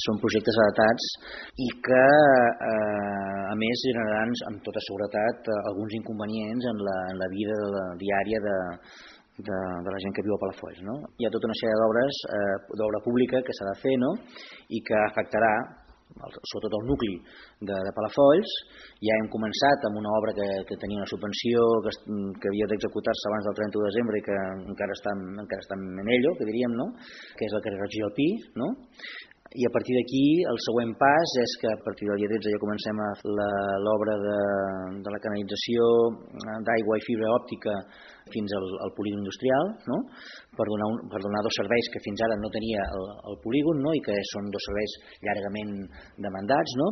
són projectes adaptats i que, a més, generaran amb tota seguretat alguns inconvenients en la vida diària de la gent que viu a Palafolls, no? Hi ha tota una sèrie d'obra pública que s'ha de fer, no? I que afectarà sobretot el nucli de Palafolls. Ja hem començat amb una obra que tenia una subvenció que havia d'executar-se abans del 31 de desembre i que encara està en ello, que diríem, no? Que és el carrer Roig i el Pi, no? I a partir d'aquí el següent pas és que a partir del dia 13 ja comencem l'obra de la canalització d'aigua i fibra òptica fins al polígon industrial, no? per donar dos serveis que fins ara no tenia el polígon, no? I que són dos serveis llargament demandats, no?